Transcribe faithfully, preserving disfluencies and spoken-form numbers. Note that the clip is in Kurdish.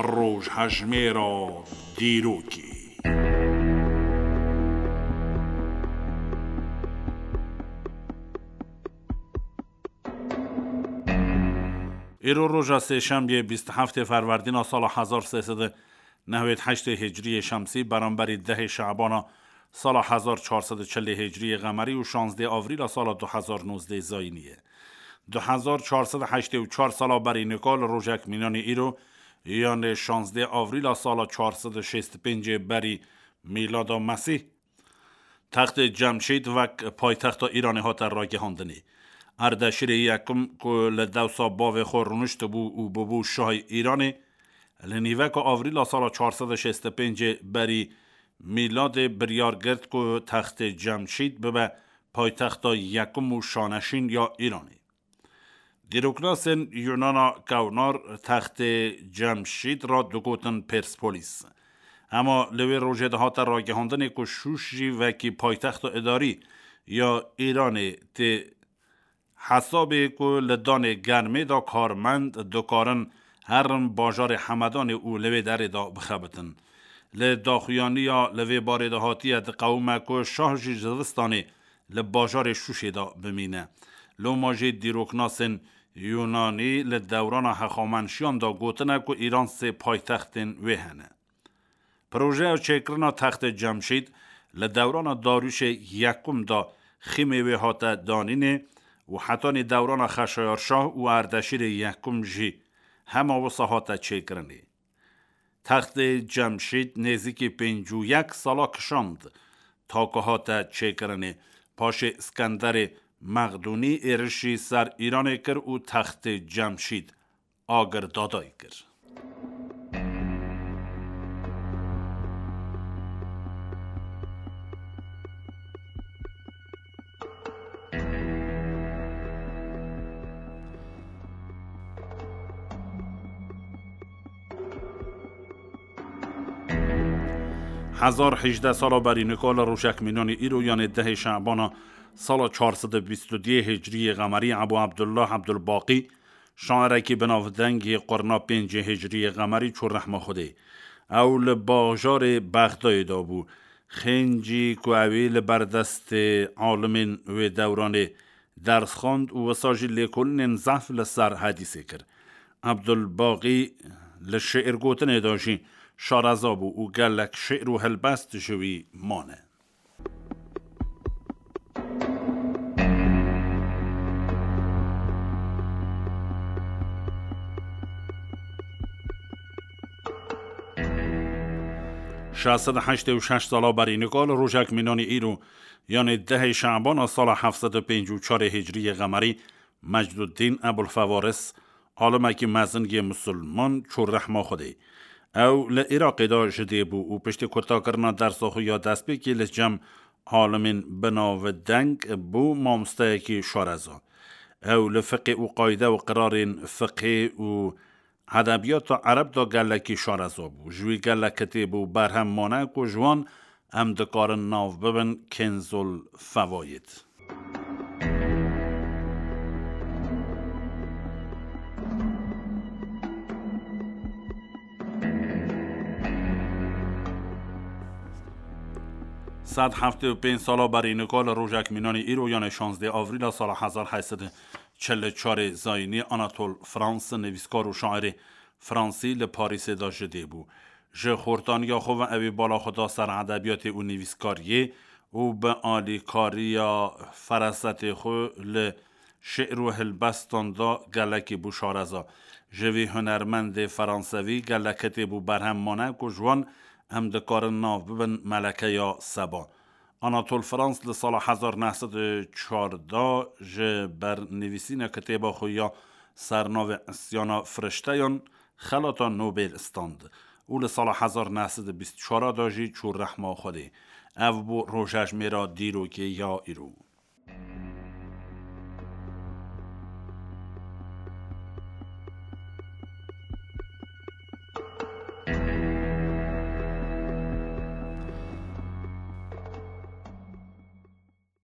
Rojhejmêra dîrokê. Îro roja sêşembiyê bîst û heftê Ferwerdîna sala hezar sê sed û newêd heştê Hicriyê Şemsî, beramberî dehê Şabana sala hezar çar sed û çilê Hicriyê Qemerî û şazdê Avrîla sala du hezar nozdê Zayînî ye. Du hezar çar sed û heştê û çar sala berî nika li rojek mînanî îro, yanê şazdê Avrîla sala çar sed û şêst û pêncê berî Mîlada Mesîh, Textê Cemşîd wek paytexta Îranê hate ragihandinê. Erdeşîrê yekim ku li dewsa bavê xwe rûniştibû û bûbû şahê Îranê, li nîveka Avrîla sala çar sed û şêst û pêncê berî Mîladê biryar girt ku textê Cemşîd bibe paytexta yekim û şaneşîn ya Îranê. Dîroknasên Yunana kewnar textê Cemşîd re digotin Perspolis. Hema li wê rojê de hate ragihandinê ku Şûş jî wekî paytexta idarî ya Îranê tê hesabê ku li danê germê de karmend dikarin herin bajarê Hemedanê û li wê derê de bixebitin. Li daxuyaniya li vê barê de hatiye diqewime ku şah jî zivistanê li bajarê Şûşê de bimîne. Loma jî dîroknasên Yunanî li dewrana hexamenşiyan de gotine ku Îran sê paytextên wê hene. Projeya çêkirina textê Cemşîd li dewrana Darûşê yekum de xîmê wê hate danînê û hetanî dewrana Xeşayar Şah û Erdeşîrê yekum jî hema wisa hate çêkirinê. Textê Cemşîd nêzîkî pêncî û yek sala kişand ta ku hate çêkirinê. Paşê Skenderê Mexdûnî êrişî ser Îranê kir û textê Cemşîd agir dadayî kir. Hezar hejdeh sala berî nika li rojek mînanî îro, yanê dehê Şebana sala çar sed û bîst û duyê Hicriyê Qemerî, Ebû Ebdullah Ebdulbaqî, şairekî bi navdeng yê qurna pêncê Hicriyê Qemerî çû rehma Xwedê. Ew li bajarê Bexdayê de bû. Xêncî ku ew ê li ber destê alimên wê dewranê ders xwend û wisa jî lêkolînên zehf li ser hedîsê kir. Ebdulbaqî li şi'rgotinê de jî şareza bû û gelek şi'r û helbest ji wî mane. Şeş sed û heştê û şeş sala berî nika li rojek mînanî îro, yanê dehê Şebana sala heft sed û pêncî û çarê Hicriyê Qemerî, Mecduddîn Ebulfewaris, alimekî mezin yê misilman, çû rehma Xwedê. Ew li Iraqê de ji dê bû û piştî kurtakirina dersa xwe ya destpêkê li cem alimên bi navdeng bû mamosteyekî şareza. Ew li fiqê û qayde û qirarên fiqê û edebiyata ereb de gelekî şareza bû. Ji wî gelek kitêb û berhem mane ku ji wan em dikarin nav bibin Kenzul Fewayid. Sed heftê û pênc sala berî nika li rojek mînanî îro, yanê şazdê Avrîla sala hezar heşt sed û çil û çarê Zayînî, Anatol Frans, nivîskar û şairê Fransî li Parîsê de ji dê bû. Ji xortaniya xwe ve ew ê bala xwe da ser edebiyatê û nivîskariyê û bi alîkariya ferasetê xwe li şi'r û hilbestan de gelekî bû şareza. Ji vî hunermendê feransevî gelek kitêb û berhem mane ku ji wan em dikarin nav bibin Melekeya Seba. Anatol Frans li sala hezar neh sed û çardeh ji ber nivîsîna kitêba xwe ya sernavê Îsyana Firişteyan xelata Nobel stand û li sala hezar neh sed û bîst û çar de jî çû rehma Xwedê. Ev bû rojejmêra dîrokê ya îro.